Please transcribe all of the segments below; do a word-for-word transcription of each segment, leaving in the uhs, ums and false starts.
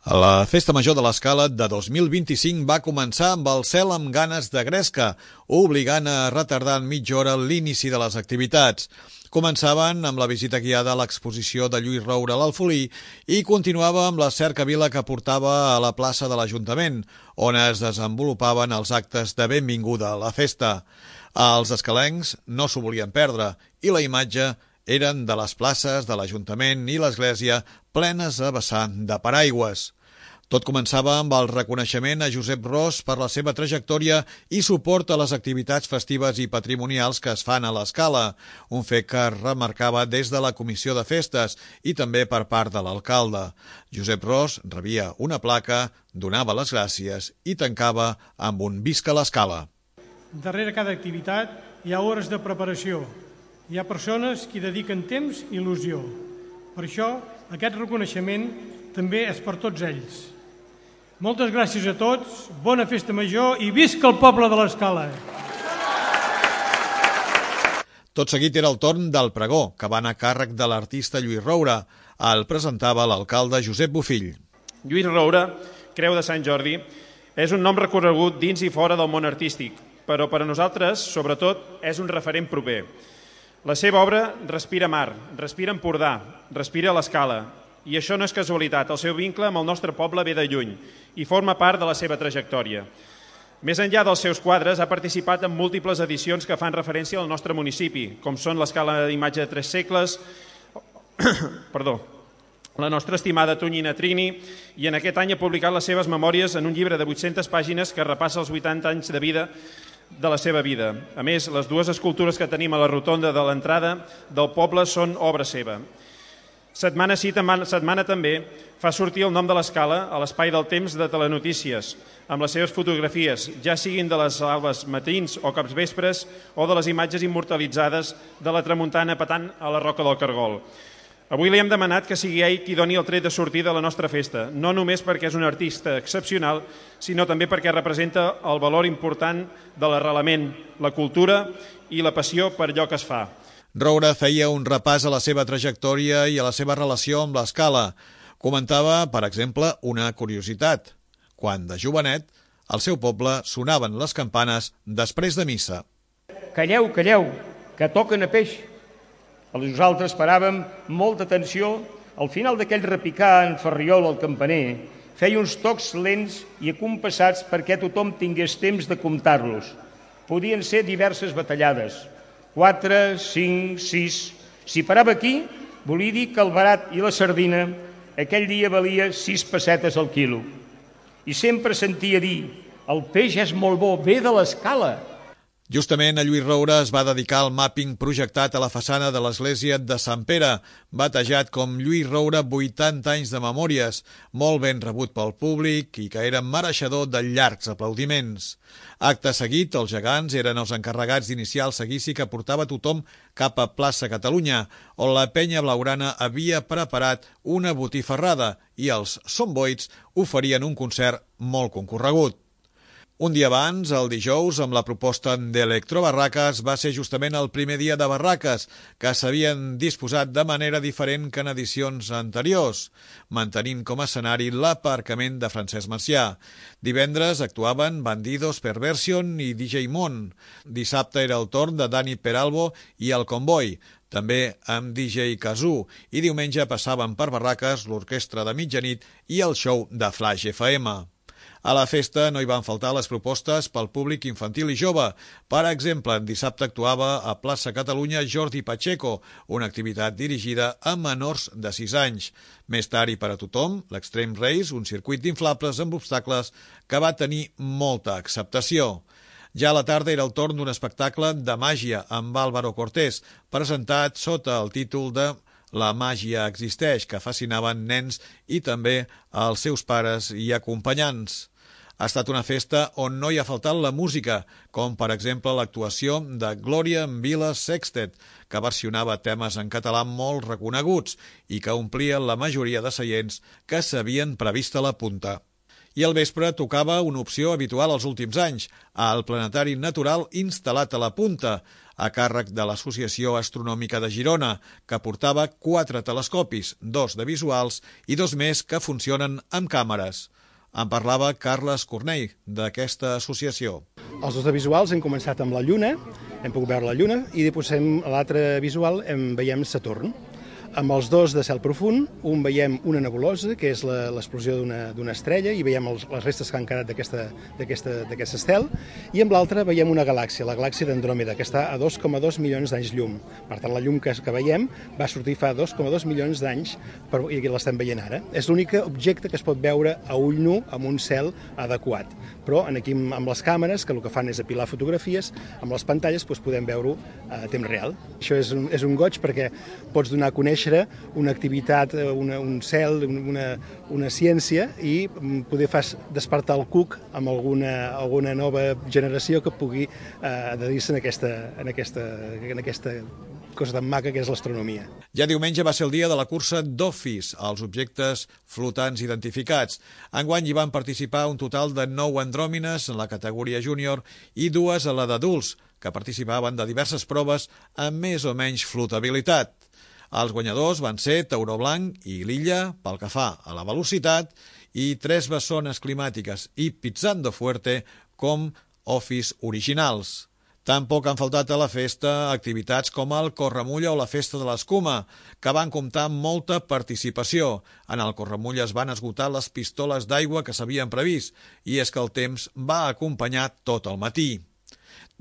La Festa Major de l'Escala de dos mil vint-i-cinc va començar amb el cel amb ganes de gresca, obligant a retardar en mitja hora l'inici de les activitats. Començaven amb la visita guiada a l'exposició de Lluís Roure a l'Alfolí i continuava amb la cercavila que portava a la plaça de l'Ajuntament, on es desenvolupaven els actes de benvinguda a la festa. Els escalencs no s'ho volien perdre i la imatge eren de les places de l'Ajuntament i l'Església plenes a vessar de paraigües. Tot començava amb el reconeixement a Josep Ros per la seva trajectòria i suport a les activitats festives i patrimonials que es fan a l'Escala, un fet que es remarcava des de la Comissió de Festes i també per part de l'alcalde. Josep Ros rebia una placa, donava les gràcies i tancava amb un Visca l'Escala. Darrere cada activitat hi ha hores de preparació. Hi ha persones que dediquen temps i il·lusió. Per això, aquest reconeixement també és per tots ells. Moltes gràcies a tots, bona festa major i visca el poble de l'Escala! Tot seguit era el torn del pregó, que va anar a càrrec de l'artista Lluís Roure. El presentava l'alcalde Josep Bofill. Lluís Roure, Creu de Sant Jordi, és un nom reconegut dins i fora del món artístic, però per a nosaltres, sobretot, és un referent proper. La seva obra respira mar, respira Empordà, respira l'Escala. I això no és casualitat, el seu vincle amb el nostre poble ve de lluny i forma part de la seva trajectòria. Més enllà dels seus quadres, ha participat en múltiples edicions que fan referència al nostre municipi, com són l'Escala d'imatge de tres segles, perdó, la nostra estimada Tonyina Trini, i en aquest any ha publicat les seves memòries en un llibre de vuit-centes pàgines que repassa els vuitanta anys de vida de la seva vida. A més, les dues escultures que tenim a la rotonda de l'entrada del poble són obra seva. Setmana sí, setmana també, fa sortir el nom de l'Escala a l'espai del temps de Telenotícies, amb les seves fotografies, ja siguin de les albes matins o capvespres o de les imatges immortalitzades de la tramuntana petant a la Roca del Cargol. Avui li hem demanat que sigui ell qui doni el tret de sortir de la nostra festa, no només perquè és un artista excepcional, sinó també perquè representa el valor important de l'arrelament, la cultura i la passió per allò que es fa. Roure feia un repàs a la seva trajectòria i a la seva relació amb l'Escala. Comentava, per exemple, una curiositat. Quan de jovenet, al seu poble sonaven les campanes després de missa. Calleu, calleu, que toquen a peix. Nosaltres paràvem molta atenció. Al final d'aquell repicar en ferriol al campaner, feia uns tocs lents i acompassats perquè tothom tingués temps de comptar-los. Podien ser diverses batallades, quatre, cinc, sis. Si parava aquí, volia dir que el barat i la sardina aquell dia valia sis pessetes al quilo. I sempre sentia dir, el peix és molt bo, ve de l'Escala. Justament a Lluís Roure es va dedicar al màpping projectat a la façana de l'església de Sant Pere, batejat com Lluís Roure vuitanta anys de memòries, molt ben rebut pel públic i que era mereixedor de llargs aplaudiments. Acte seguit, els gegants eren els encarregats d'iniciar el seguici que portava tothom cap a plaça Catalunya, on la penya blaugrana havia preparat una botifarrada i els Somboits oferien un concert molt concorregut. Un dia abans, el dijous, amb la proposta d'Electrobarraques, va ser justament el primer dia de barraques, que s'havien disposat de manera diferent que en edicions anteriors, mantenint com a escenari l'aparcament de Francesc Macià. Divendres actuaven Bandidos, Perversion i D J Mon. Dissabte era el torn de Dani Peralbo i el Convoy, també amb D J Kazoo, i diumenge passaven per barraques l'orquestra de mitjanit i el show de Flash F M. A la festa no hi van faltar les propostes pel públic infantil i jove. Per exemple, en dissabte actuava a plaça Catalunya Jordi Pacheco, una activitat dirigida a menors de sis anys. Més tard i per a tothom, l'Extreme Race, un circuit d'inflables amb obstacles que va tenir molta acceptació. Ja a la tarda era el torn d'un espectacle de màgia amb Álvaro Cortés, presentat sota el títol de La màgia existeix, que fascinaven nens i també als seus pares i acompanyants. Ha estat una festa on no hi ha faltat la música, com per exemple l'actuació de Glòria Vila Sextet, que versionava temes en català molt reconeguts i que omplien la majoria de seients que s'havien previst a la punta. I al vespre tocava una opció habitual als últims anys, al planetari natural instal·lat a la punta. a càrrec de l'Associació Astronòmica de Girona, que portava quatre telescopis, dos de visuals i dos més que funcionen amb càmeres. En parlava Carles Cornell, d'aquesta associació. Els dos de visuals hem començat amb la Lluna, hem pogut veure la Lluna, i després a l'altre visual en veiem Saturn. Amb els dos de cel profund, un veiem una nebulosa, que és l'explosió d'una estrella, i veiem els, les restes que han quedat d'aquest estel, i amb l'altre veiem una galàxia, la galàxia d'Andròmeda, que està a dos coma dos milions d'anys llum. Per tant, la llum que, que veiem va sortir fa dos coma dos milions d'anys i l'estem veient ara. És l'únic objecte que es pot veure a ull nu amb un cel adequat. Però aquí amb les càmeres, que el que fan és apilar fotografies, amb les pantalles doncs, podem veure-ho a temps real. Això és un, és un goig perquè pots donar a conèixer una activitat, una, un cel, una, una ciència i poder fer despertar el cuc amb alguna, alguna nova generació que pugui eh, adherir-se en aquesta, en, aquesta, en aquesta cosa tan maca que és l'astronomia. Ja diumenge va ser el dia de la cursa d'Office, als objectes flotants identificats. Enguany hi van participar un total de nou andròmines en la categoria júnior i dues a la d'adults, que participaven de diverses proves amb més o menys flotabilitat. Els guanyadors van ser Tauró Blanc i l'Illa, pel que fa a la velocitat, i tres bessones climàtiques i Pizzando Fuerte com Office originals. Tampoc han faltat a la festa activitats com el Corremulla o la Festa de l'Escuma, que van comptar amb molta participació. En el Corremulla es van esgotar les pistoles d'aigua que s'havien previst, i és que el temps va acompanyar tot el matí.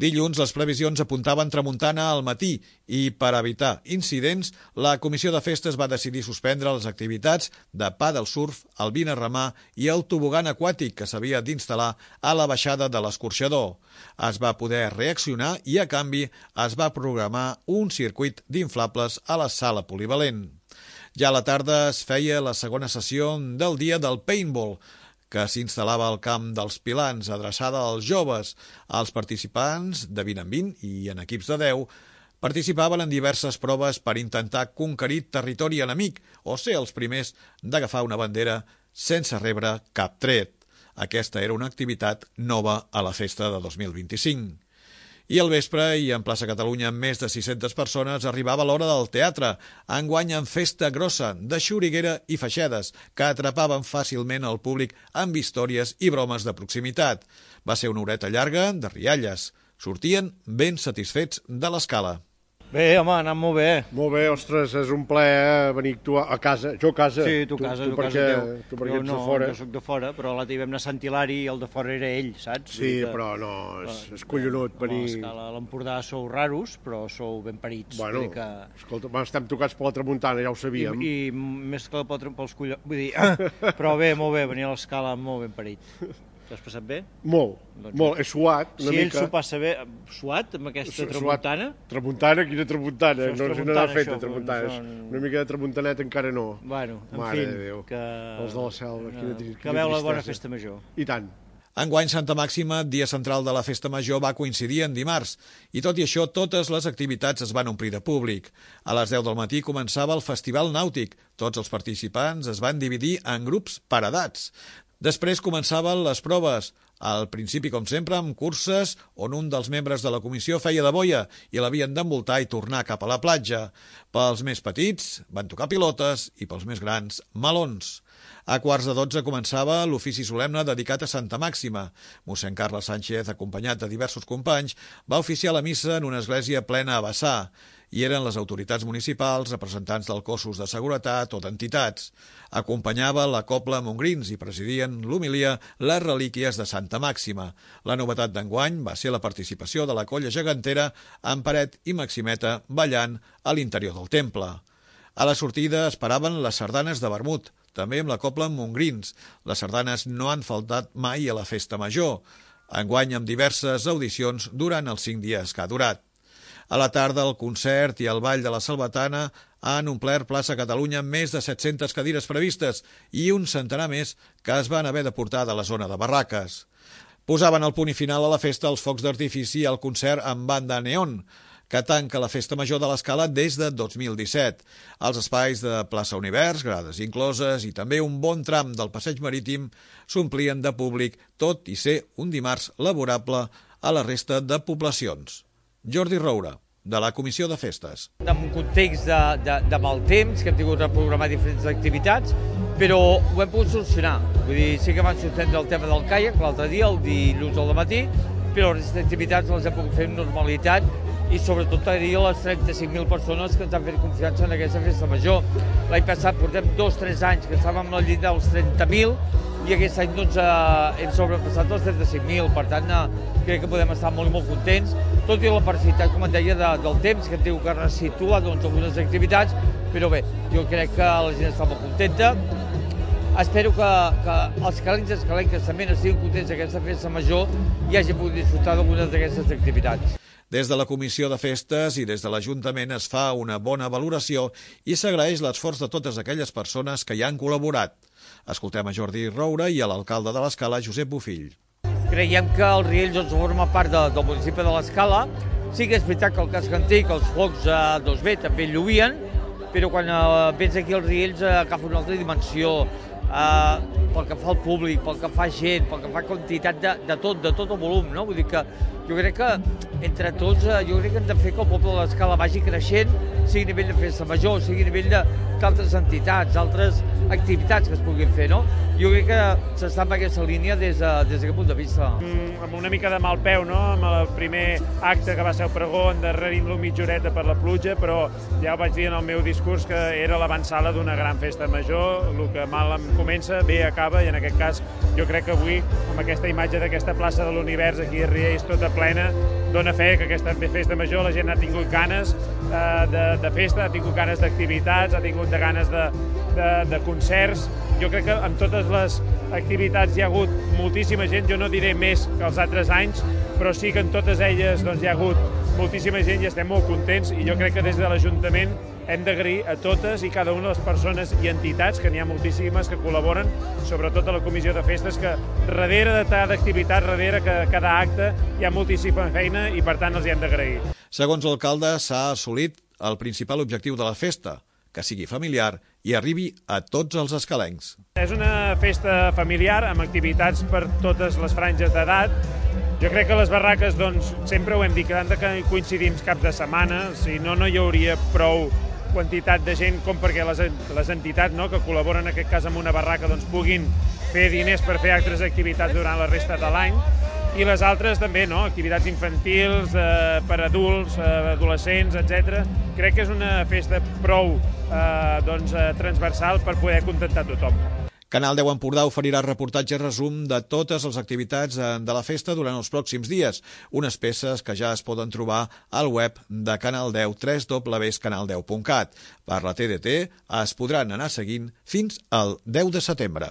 Dilluns les previsions apuntaven tramuntana al matí i, per evitar incidents, la Comissió de Festes va decidir suspendre les activitats de pàdel surf, el vina remar i el tobogan aquàtic que s'havia d'instal·lar a la baixada de l'escorxador. Es va poder reaccionar i, a canvi, es va programar un circuit d'inflables a la sala polivalent. Ja a la tarda es feia la segona sessió del dia del paintball, que s'instal·lava al camp dels Pilans, adreçada als joves. Els participants, de vint en vint i en equips de deu, participaven en diverses proves per intentar conquerir territori enemic o ser els primers d'agafar una bandera sense rebre cap tret. Aquesta era una activitat nova a la festa de dos mil vint-i-cinc. I al vespre, i en plaça Catalunya amb més de sis-centes persones, arribava l'hora del teatre, enguany en festa grossa, de xuriguera i feixedes, que atrapaven fàcilment el públic amb històries i bromes de proximitat. Va ser una horeta llarga de rialles. Sortien ben satisfets de l'escala. Bé, home, ha anat molt bé. Molt bé, ostres, és un plaer venir tu a casa. Jo a casa. Sí, tu a casa, tu, tu, tu perquè, casa tu perquè jo ets no, de fora. Jo soc de fora, però l'altre dia vam anar a Sant Hilari i el de fora era ell, saps? Sí, que, però no, és, és collonut venir... A l'escala a l'Empordà sou raros, però sou ben parits. Bueno, que... escolta, estem tocats per la tramuntana, ja ho sabíem. I, i més que pels collons... Vull dir, però bé, molt bé, venir a l'escala molt ben parit. T'has passat bé? Molt, doncs, molt. He suat una si mica. Si ell s'ho passa bé, suat amb aquesta tramuntana? Tramuntana? Quina tramuntana? Això no, tramuntana, no n'ha fet això, tramuntana. són... Una mica de tramuntanet encara no. Bueno, en Mare fi, de Déu. que... Els de la selva, quina, quina que veu la bona tristesa. festa major. I tant. Enguany Santa Màxima, dia central de la festa major, va coincidir en dimarts, i tot i això totes les activitats es van omplir de públic. A les deu del matí començava el Festival Nàutic. Tots els participants es van dividir en grups per edats. Després començaven les proves, al principi, com sempre, amb curses on un dels membres de la comissió feia de boia i l'havien d'envoltar i tornar cap a la platja. Pels més petits van tocar pilotes i pels més grans melons. A quarts de dotze començava l'ofici solemne dedicat a Santa Màxima. Mossèn Carles Sánchez, acompanyat de diversos companys, va oficiar la missa en una església plena a vessar. Hi eren les autoritats municipals, representants dels cossos de seguretat o d'entitats. Acompanyava la Cobla Montgrins i presidien l'homilia les relíquies de Santa Màxima. La novetat d'enguany va ser la participació de la colla gegantera amb Paret i Maximeta ballant a l'interior del temple. A la sortida esperaven les sardanes de vermut, també amb la Cobla Montgrins. Les sardanes no han faltat mai a la festa major, enguany amb diverses audicions durant els cinc dies que ha durat. A la tarda, el concert i el ball de la Salvatana han omplert plaça Catalunya amb més de set-centes cadires previstes i un centenar més que es van haver de portar de la zona de barraques. Posaven el punt i final a la festa els focs d'artifici i el concert amb banda neon, que tanca la festa major de l'Escala des de dos mil disset. Els espais de plaça Univers, grades incloses i també un bon tram del passeig marítim s'omplien de públic, tot i ser un dimarts laborable a la resta de poblacions. Jordi Roura. de la Comissió de Festes. En un context de, de, de mal temps, que hem tingut de programar diferents activitats, però ho hem pogut solucionar. Vull dir, sí que van suspendre el tema del caiac l'altre dia, el dilluns al matí, però les activitats les hem pogut fer amb normalitat i sobretot agrair a les trenta-cinc mil persones que ens han fet confiança en aquesta festa major. L'any passat portem dos o tres anys que estàvem al llit dels trenta mil i aquest any doncs, eh, hem sobrepassat els trenta-cinc mil, per tant eh, crec que podem estar molt i molt contents, tot i la parcialitat, com et deia, de, del temps, que hem tingut que resituar doncs, algunes activitats, però bé, jo crec que la gent està molt contenta. Espero que, que els calents i escalenques també estiguin contents d'aquesta festa major i hagin pogut disfrutar d'algunes d'aquestes activitats. Des de la Comissió de Festes i des de l'Ajuntament es fa una bona valoració i s'agraeix l'esforç de totes aquelles persones que hi han col·laborat. Escoltem a Jordi Roura i a l'alcalde de l'Escala, Josep Bofill. Creiem que el Riells doncs, forma part de, del municipi de l'Escala. Sí que és veritat que el casc antic, els focs eh, doncs bé, també lluïen, però quan eh, vens aquí als Riells eh, agafa una altra dimensió. Uh, pel que fa al públic, pel que fa gent, pel que fa quantitat de, de tot, de tot el volum, no? Vull dir que jo crec que entre tots, uh, jo crec que hem de fer que el poble de l'Escala vagi creixent, sigui a nivell de festa major, sigui a nivell d'altres entitats, altres activitats que es puguin fer, no? Jo crec que s'està en aquesta línia des, de, des d'aquest punt de vista. Mm, amb una mica de mal peu, no?, amb el primer acte que va ser el pregó, endarrerint-lo mitja horeta per la pluja, però ja ho vaig dir en el meu discurs que era l'avançala d'una gran festa major, el que mal em comença, bé acaba, i en aquest cas jo crec que avui, amb aquesta imatge d'aquesta plaça de l'Univers aquí a Riells tota plena, dona fe que aquesta festa major la gent ha tingut ganes eh, de, de festa, ha tingut ganes d'activitats, ha tingut de ganes de, de, de concerts. Jo crec que amb totes les activitats hi ha hagut moltíssima gent, jo no diré més que els altres anys, però sí que en totes elles doncs, hi ha hagut moltíssima gent i estem molt contents, i jo crec que des de l'Ajuntament hem d'agrair a totes i cada una de les persones i entitats, que n'hi ha moltíssimes que col·laboren, sobretot a la Comissió de Festes, que darrere de cada activitat, darrere de cada acte, hi ha moltíssima feina i per tant els hi hem d'agrair. Segons l'alcalde, s'ha assolit el principal objectiu de la festa, que sigui familiar i arribi a tots els escalencs. És una festa familiar amb activitats per totes les franges d'edat. Jo crec que les barraques, doncs, sempre ho hem dit, que han de coincidir caps de setmana, si no, no hi hauria prou quantitat de gent com perquè les, les entitats, no?, que col·laboren en aquest cas amb una barraca doncs, puguin fer diners per fer altres activitats durant la resta de l'any. I les altres també, no?, activitats infantils, eh, per adults, eh, adolescents, etcètera. Crec que és una festa prou eh, doncs, eh, transversal per poder contentar tothom. Canal deu Empordà oferirà reportatge resum de totes les activitats de la festa durant els pròxims dies, unes peces que ja es poden trobar al web de Canal deu, w w w punt canal deu punt cat. Per la T D T es podran anar seguint fins al deu de setembre.